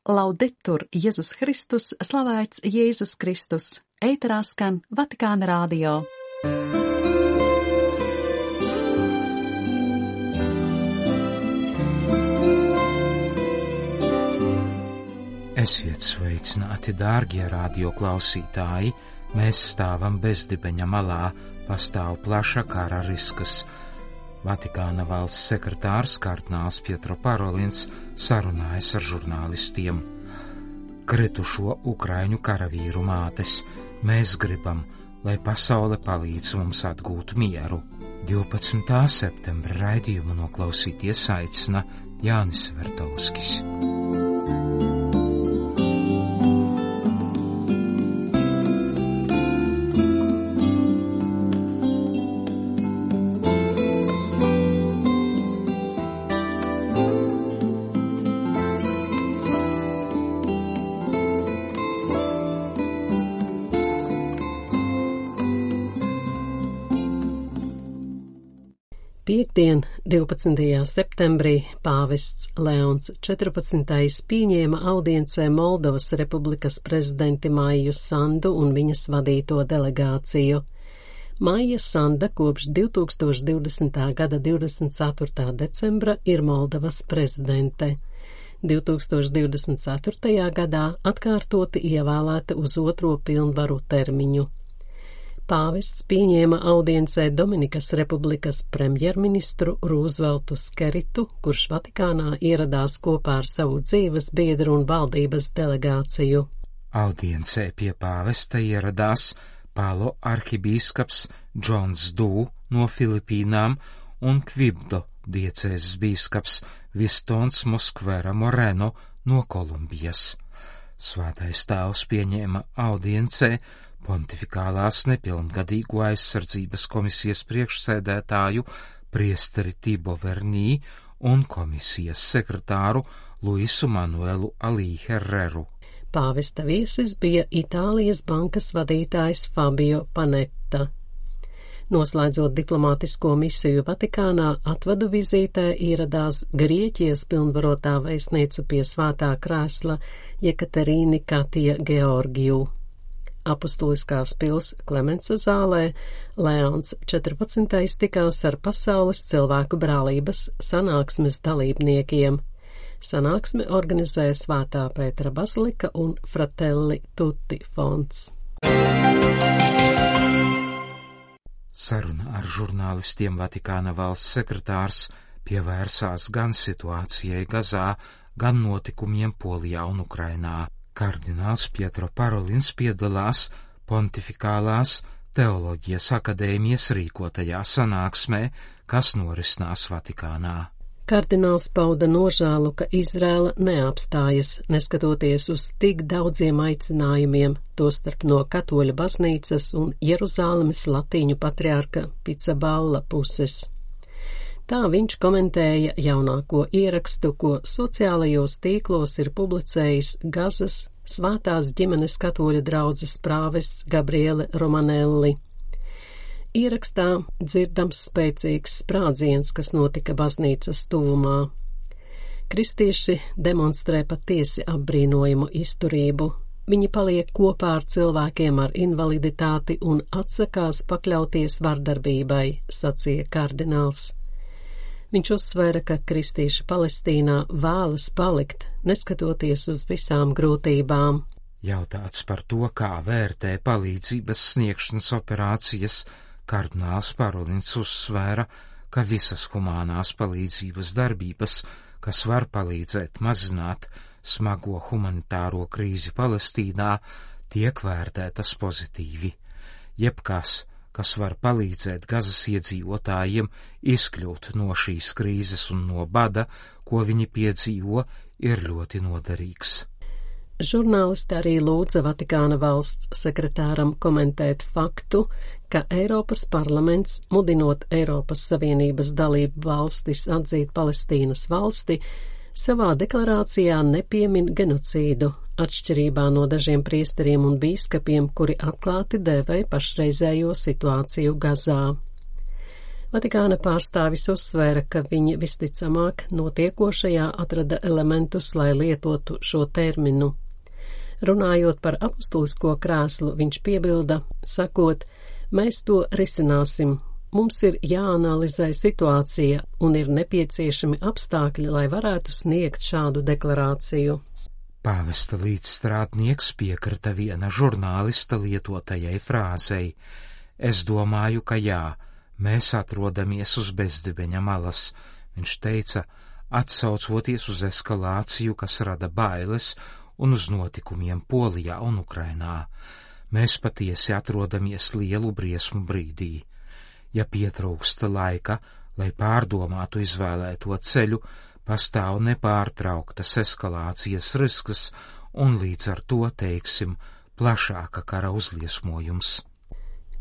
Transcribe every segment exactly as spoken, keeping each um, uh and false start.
Laudetur Jēzus Kristus, slavēts Jēzus Kristus, ēterā skan Vatikāna radio. Esiet sveicināti, dārgie radioklausītāji! Mēs stāvam bezdibeņa malā, pastāv plaša kara risks. Vatikāna valsts sekretārs kardināls Pietro Parolins sarunājas ar žurnālistiem. Kritušo ukraiņu karavīru mātes, mēs gribam, lai pasaule palīdz mums atgūt mieru. divpadsmitā septembra raidījumu noklausīties aicina Jānis Vertovskis. Piektdien, divpadsmitajā septembrī, pāvests Leons četrpadsmitais pieņēma audiencē Moldovas republikas prezidenti Maiju Sandu un viņas vadīto delegāciju. Maija Sanda kopš divtūkstoš divdesmitā gada divdesmit ceturtā decembra ir Moldovas prezidente. divtūkstoš divdesmit ceturtajā gadā atkārtoti ievēlēta uz otro pilnvaru termiņu. Pāvests pieņēma audiencē Dominikas republikas premjerministru Rūzveltu Skeritu, kurš Vatikānā ieradās kopā ar savu dzīves biedru un valdības delegāciju. Audiencē pie pāvesta ieradās Palo arhibīskaps Džons Dū no Filipīnām un Kvibdo diecēzes bīskaps Vistons Moskvera Moreno no Kolumbijas. Svētais tēvs pieņēma audiencē pontifikālās nepilngadīgo aizsardzības komisijas priekšsēdētāju priesteri Tibo Vernī un komisijas sekretāru Luisu Manuelu Alī Herreru. Pāvesta viesis bija Itālijas bankas vadītājs Fabio Panetta. Noslēdzot diplomātisko misiju Vatikānā, atvadu vizītē ieradās Grieķijas pilnvarotā vēstniece pie svētā krēsla Jekaterīna Katija Georgiju. Apustuliskās pils Klemensa zālē Leons četrpadsmitais tikās ar pasaules cilvēku brālības sanāksmes dalībniekiem. Sanāksmi organizē Svētā Pētera bazilika un Fratelli Tutti fonds. Saruna ar žurnālistiem Vatikāna valsts sekretārs pievērsās gan situācijai Gazā, gan notikumiem Polijā un Ukrainā. Kardināls Pietro Parolins piedalās Pontifikālās teoloģijas akadēmijas rīkotajā sanāksmē, kas norisinās Vatikānā. Kardināls pauda nožēlu, ka Izraela neapstājas, neskatoties uz tik daudziem aicinājumiem, tostarp no katoļu baznīcas un Jeruzālemes latīņu patriārka Picaballa puses. Tā viņš komentēja jaunāko ierakstu, ko sociālajos tīklos ir publicējis Gazas Svētās ģimenes katoļu draudzes prāvests Gabriele Romanelli. Ierakstā dzirdams spēcīgs sprādziens, kas notika baznīcas tuvumā. Kristieši demonstrē patiesi apbrīnojumu izturību. Viņi paliek kopā ar cilvēkiem ar invaliditāti un atsakās pakļauties vardarbībai, sacīja kardināls. Viņš uzsvēra, ka kristieši Palestīnā vēlas palikt, neskatoties uz visām grūtībām. Jautāts par to, kā vērtē palīdzības sniegšanas operācijas, kardināls Parolins uzsvēra, ka visas humānās palīdzības darbības, kas var palīdzēt mazināt smago humanitāro krīzi Palestīnā, tiek vērtētas pozitīvi. Jebkas, kas var palīdzēt Gazas iedzīvotājiem izkļūt no šīs krīzes un no bada, ko viņi piedzīvo, ir ļoti noderīgs. Žurnālisti arī lūdza Vatikāna valsts sekretāram komentēt faktu, ka Eiropas parlaments, mudinot Eiropas Savienības dalību valstis atzīt Palestīnas valsti, savā deklarācijā nepiemin genocīdu, atšķirībā no dažiem priesteriem un bīskapiem, kuri atklāti dēvē pašreizējo situāciju Gazā. Vatikāna pārstāvis uzsvēra, ka viņi visticamāk notiekošajā atrada elementus, lai lietotu šo terminu. Runājot par apustulisko krēslu, viņš piebilda, sakot, mēs to risināsim. Mums ir jāanalizē situācija un ir nepieciešami apstākļi, lai varētu sniegt šādu deklarāciju. Pāvesta līdzstrādnieks piekrita viena žurnālista lietotajai frāzei. Es domāju, ka jā, mēs atrodamies uz bezdibeņa malas, viņš teica, atsaucoties uz eskalāciju, kas rada bailes un uz notikumiem Polijā un Ukrainā. Mēs patiesi atrodamies lielu briesmu brīdī. Ja pietrūksta laika, lai pārdomātu izvēlēto ceļu, pastāv nepārtrauktas eskalācijas risks un līdz ar to, teiksim, plašāka kara uzliesmojums.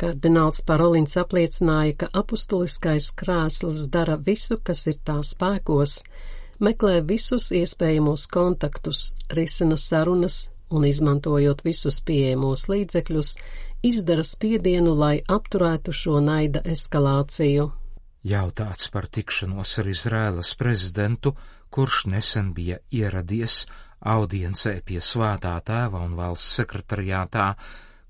Kardināls Parolins apliecināja, ka apustuliskais krēsls dara visu, kas ir tā spēkos, meklē visus iespējamos kontaktus, risina sarunas un, izmantojot visus pieejamos līdzekļus, izdara spiedienu, lai apturētu šo naida eskalāciju. Jautāts par tikšanos ar Izraēlas prezidentu, kurš nesen bija ieradies audiencē pie Svētā tēva un valsts sekretariātā,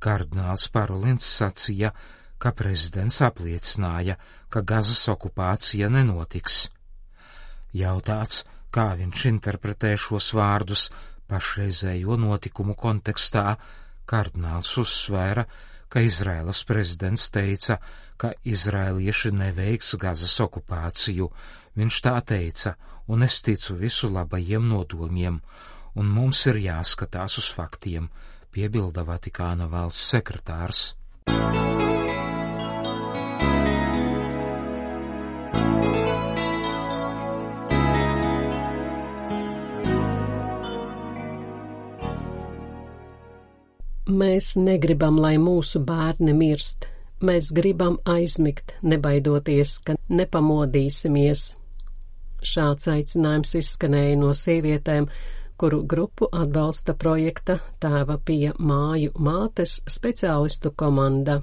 kardināls Parolins sacīja, ka prezidents apliecināja, ka Gazas okupācija nenotiks. Jautāts, kā viņš interpretē šos vārdus pašreizējo notikumu kontekstā, kardināls uzsvēra, ka Izraēlas prezidents teica, ka izraēlieši neveiks Gazas okupāciju. Viņš tā teica, un es ticu visu labajiem nodomiem, un mums ir jāskatās uz faktiem, piebilda Vatikāna valsts sekretārs. Mēs negribam, lai mūsu bērni mirst. Mēs gribam aizmigt, nebaidoties, ka nepamodīsimies. Šāds aicinājums izskanēja no sievietēm, kuru grupu atbalsta projekta Tēva Pija māju mātes speciālistu komanda.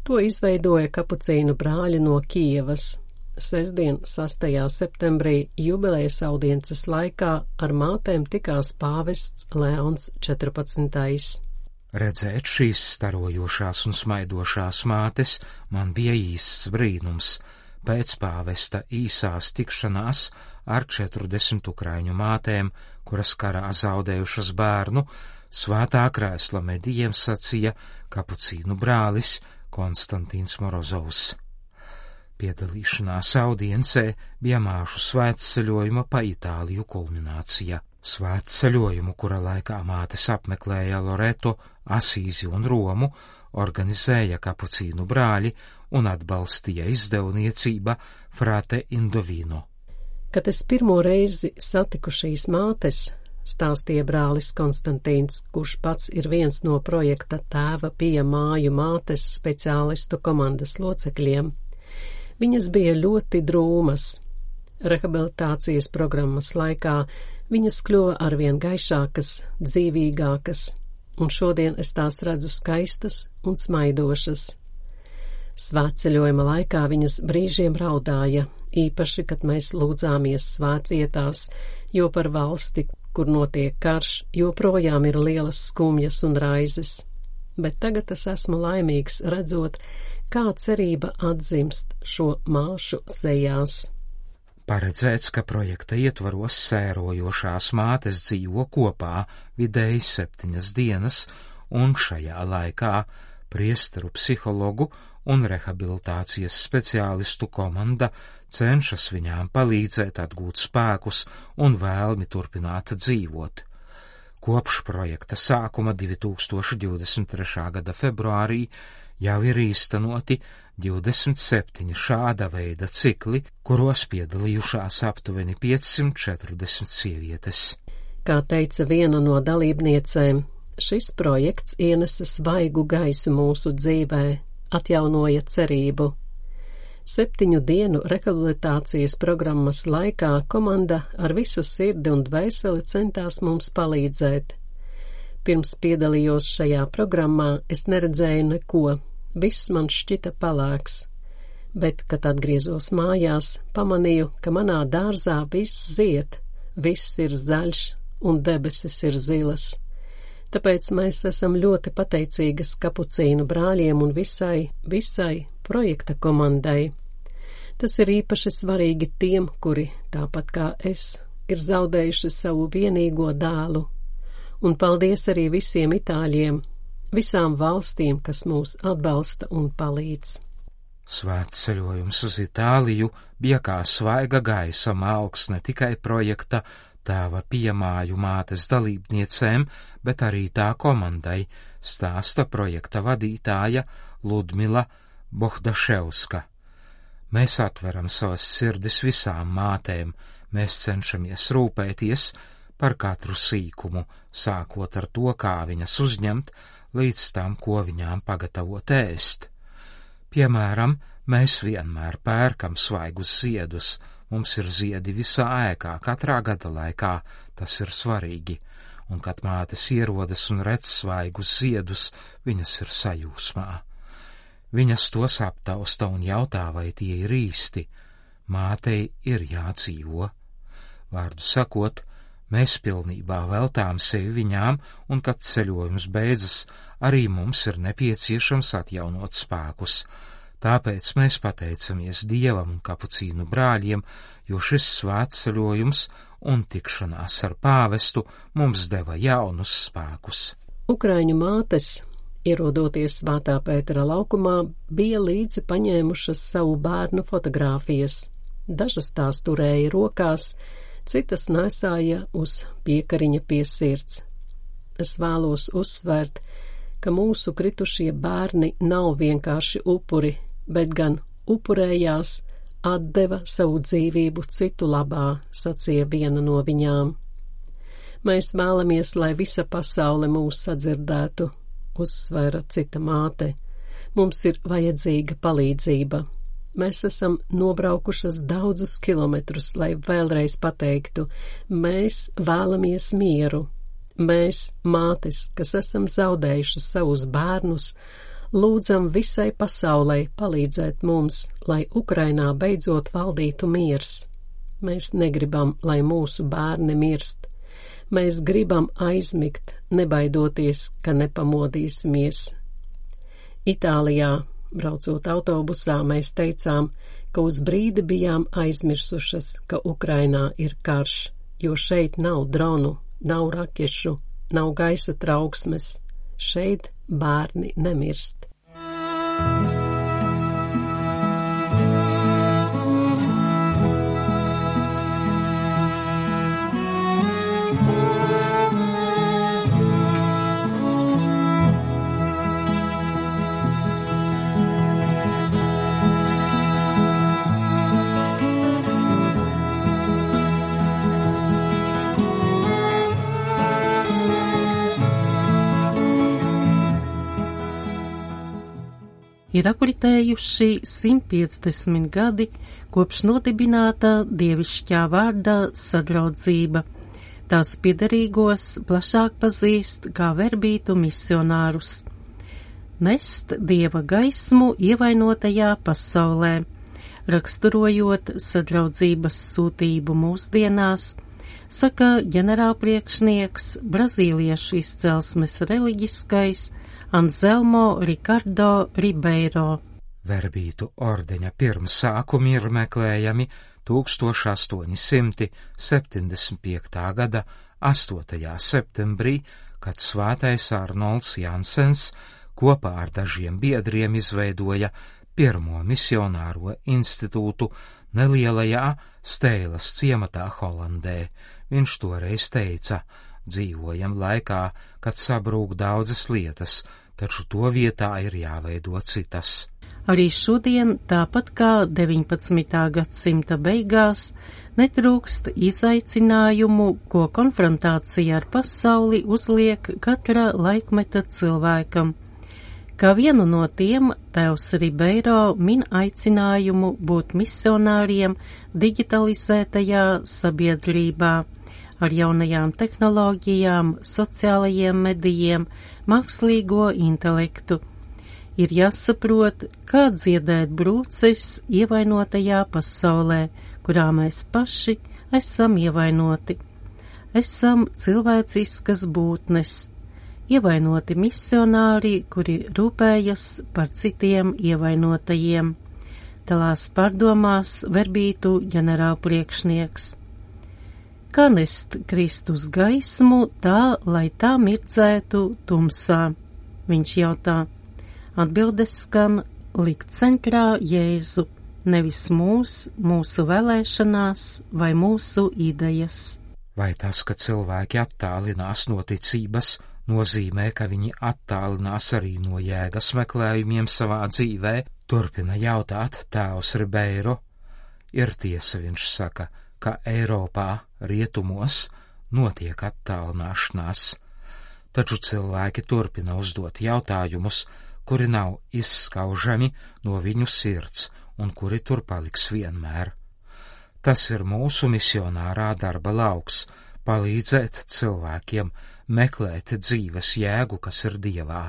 To izveidoja kapucīnu brāļi no Kijevas. Sestdien, sastajā septembrī, jubilejas audiences laikā ar mātēm tikās pāvests Leons četrpadsmitais. Redzēt šīs starojošās un smaidošās mātes man bija īsts brīnums. Pēc pāvesta īsās tikšanās ar četrdesmit ukraiņu mātēm, kuras karā zaudējušas bērnu, Svētā krēsla medijiem sacīja kapucīnu brālis Konstantīns Morozovs. Piedalīšanās audiencē bija māšu svētceļojuma pa Itāliju kulminācija. Svētceļojumu, kura laikā mātes apmeklēja Loreto, Asīzi un Romu, organizēja kapucīnu brāļi un atbalstīja izdevniecība Frate Indovino. Kad es pirmo reizi satiku šīs mātes, stāstīja brālis Konstantīns, kurš pats ir viens no projekta Tēva Pija māju mātes speciālistu komandas locekļiem, viņas bija ļoti drūmas. Rehabilitācijas programmas laikā viņas kļuva arvien gaišākas, dzīvīgākas, un šodien es tās redzu skaistas un smaidošas. Svētceļojuma laikā viņas brīžiem raudāja, īpaši, kad mēs lūdzāmies svētvietās, jo par valsti, kur notiek karš, joprojām ir lielas skumjas un raizes. Bet tagad es esmu laimīgs redzot, kā cerība atzimst šo māšu sejās. Paredzēts, ka projekta ietvaros sērojošās mātes dzīvo kopā vidēji septiņas dienas, un šajā laikā priesteru psihologu un rehabilitācijas speciālistu komanda cenšas viņām palīdzēt atgūt spēkus un vēlmi turpināt dzīvot. Kopš projekta sākuma divi tūkstoši divdesmit trešā gada februārī jau ir īstenoti divdesmit septiņi šāda veida cikli, kuros piedalījušās aptuveni piecsimt četrdesmit sievietes. Kā teica viena no dalībniecēm, šis projekts ienesa svaigu gaisu mūsu dzīvē, atjaunoja cerību. Septiņu dienu rehabilitācijas programmas laikā komanda ar visu sirdi un dvēseli centās mums palīdzēt. Pirms piedalījos šajā programmā, es neredzēju neko, viss man šķita palēks. bet, kad atgriezos mājās, pamanīju, ka manā dārzā viss zied, viss ir zaļš un debesis ir zilas. Tāpēc mēs esam ļoti pateicīgas kapucīnu brāļiem un visai, visai projekta komandai. Tas ir īpaši svarīgi tiem, kuri, tāpat kā es, ir zaudējuši savu vienīgo dēlu. Un paldies arī visiem itāļiem, visām valstīm, kas mūs atbalsta un palīdz. Svēts ceļojums uz Itāliju bija kā svaiga gaisa malks ne tikai projekta Tēva piemāju mātes dalībniecēm, bet arī tā komandai, stāsta projekta vadītāja Ludmila Bohdaševska. Mēs atveram savas sirdis visām mātēm, mēs cenšamies rūpēties par katru sīkumu, sākot ar to, kā viņas uzņemt, līdz tam, ko viņām pagatavot ēst. Piemēram, mēs vienmēr pērkam svaigus ziedus, mums ir ziedi visā ēkā, katrā gada laikā, tas ir svarīgi, un kad mātes ierodas un redz svaigus ziedus, viņas ir sajūsmā. Viņas tos aptausta un jautā, vai tie ir īsti. Mātei ir jādzīvo. Vārdu sakot, mēs pilnībā veltām sevi viņām, un kad ceļojums beidzas, arī mums ir nepieciešams atjaunot spēkus. Tāpēc mēs pateicamies Dievam un kapucīnu brāļiem, jo šis svētceļojums un tikšanās ar pāvestu mums deva jaunus spēkus. Ukraiņu mātes, ierodoties Svētā Pētera laukumā, bija līdzi paņēmušas savu bērnu fotogrāfijas. Dažas tās turēja rokās, citas nesāja uz piekariņa pie sirds. Es vēlos uzsvērt, ka mūsu kritušie bērni nav vienkārši upuri, bet gan upurējās, atdeva savu dzīvību citu labā, sacīja viena no viņām. Mēs vēlamies, lai visa pasaule mūs sadzirdētu, uzsvēra cita māte. Mums ir vajadzīga palīdzība. Mēs esam nobraukušas daudzus kilometrus, lai vēlreiz pateiktu, mēs vēlamies mieru. Mēs, mātes, kas esam zaudējuši savus bērnus, lūdzam visai pasaulei palīdzēt mums, lai Ukrainā beidzot valdītu miers. Mēs negribam, lai mūsu bērni mirst. Mēs gribam aizmigt, nebaidoties, ka nepamodīsimies. Itālijā, braucot autobusā, mēs teicām, ka uz brīdi bijām aizmirsušas, ka Ukrainā ir karš, jo šeit nav dronu, nav rakešu, nav gaisa trauksmes. Šeit bērni nemirst. Ir apritējuši simt piecdesmit gadi, kopš nodibināta dievišķā vārda sadraudzība. Tās piederīgos plašāk pazīst kā verbītu misionārus. Nest dieva gaismu ievainotajā pasaulē, raksturojot sadraudzības sūtību mūsdienās, saka ģenerālpriekšnieks, brazīliešu izcelsmes reliģiskais Anselmo Ricardo Ribeiro. Verbītu ordeņa pirmsākumi ir meklējami tūkstoš astoņi simti septiņdesmit piektā gada astotajā septembrī, kad svētais Arnolds Jansens kopā ar dažiem biedriem izveidoja pirmo misionāro institūtu nelielajā Steilas ciematā Holandē. Viņš toreiz teica: dzīvojam laikā, kad sabrūk daudzas lietas, taču to vietā ir jāveido citas. Arī šodien, tāpat kā deviņpadsmitā gadsimta beigās, netrūkst izaicinājumu, ko konfrontācija ar pasauli uzliek katra laikmeta cilvēkam. Kā vienu no tiem, tēvs Ribeiro min aicinājumu būt misionāriem digitalizētajā sabiedrībā, ar jaunajām tehnoloģijām, sociālajiem medijiem, mākslīgo intelektu. Ir jāsaprot, kā dziedēt brūces ievainotajā pasaulē, kurā mēs paši esam ievainoti. Esam cilvēciskas būtnes, ievainoti misionāri, kuri rūpējas par citiem ievainotajiem. Dalās pārdomās verbītu ģenerālpriekšnieks. Kā nest Kristus gaismu tā, lai tā mirdzētu tumsā? Viņš jautā. Atbildes skan likt centrā Jēzu, nevis mūs, mūsu vēlēšanās vai mūsu idejas. Vai tas, ka cilvēki attālinās no ticības, nozīmē, ka viņi attālinās arī no jēgas meklējumiem savā dzīvē? Turpina jautāt tēvs Ribeiro. Ir tiesa, viņš saka, ka Eiropā, rietumos, notiek attālināšanās. Taču cilvēki turpina uzdot jautājumus, kuri nav izskaužami no viņu sirds un kuri tur paliks vienmēr. Tas ir mūsu misionārā darba lauks – palīdzēt cilvēkiem meklēt dzīves jēgu, kas ir Dievā.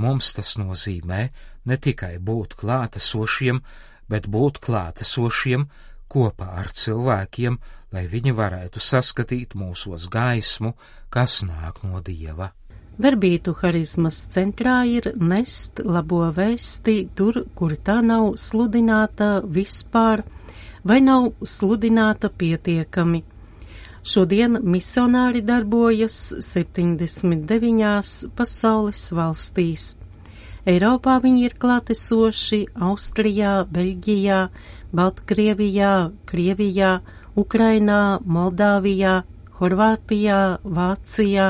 Mums tas nozīmē ne tikai būt klātesošiem, bet būt klātesošiem kopā ar cilvēkiem, lai viņi varētu saskatīt mūsos gaismu, kas nāk no Dieva. Verbītu harizmas centrā ir nest labo vēsti tur, kur tā nav sludināta vispār vai nav sludināta pietiekami. Šodien misionāri darbojas septiņdesmit deviņās pasaules valstīs. Eiropā viņi ir klātesoši Austrijā, Beļģijā, Baltkrievijā, Krievijā, Ukrainā, Moldāvijā, Horvātijā, Vācijā,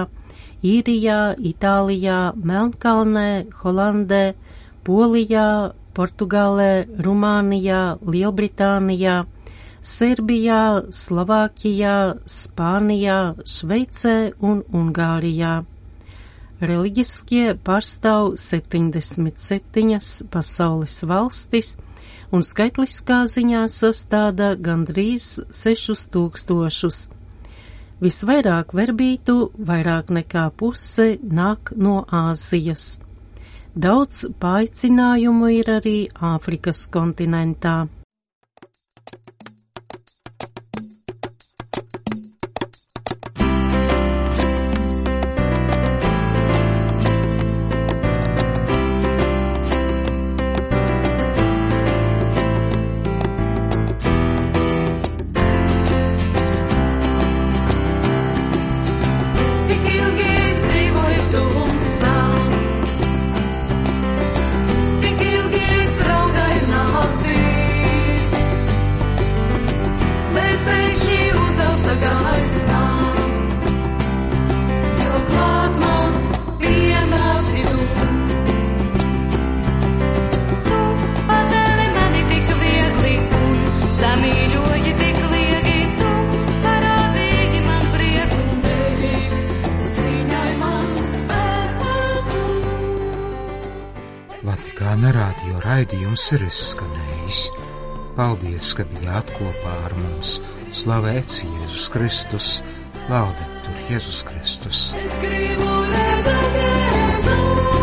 Īrijā, Itālijā, Melnkalnē, Holandē, Polijā, Portugālē, Rumānijā, Lielbritānijā, Serbijā, Slovākijā, Spānijā, Šveicē un Ungārijā. Reliģiskie pārstāv septiņdesmit septiņas pasaules valstis un skaitliskā ziņā sastāda gandrīz sešus tūkstošus. Visvairāk verbītu, vairāk nekā puse, nāk no Āzijas. Daudz paaicinājumu ir arī Āfrikas kontinentā. Vatikāna radio raidījums ir izskanējis. Paldies, ka bijāt kopā ar mums. Slavēts Jēzus Kristus, laudetur Jēzus Kristus. Es gribu redzēt Jēzu.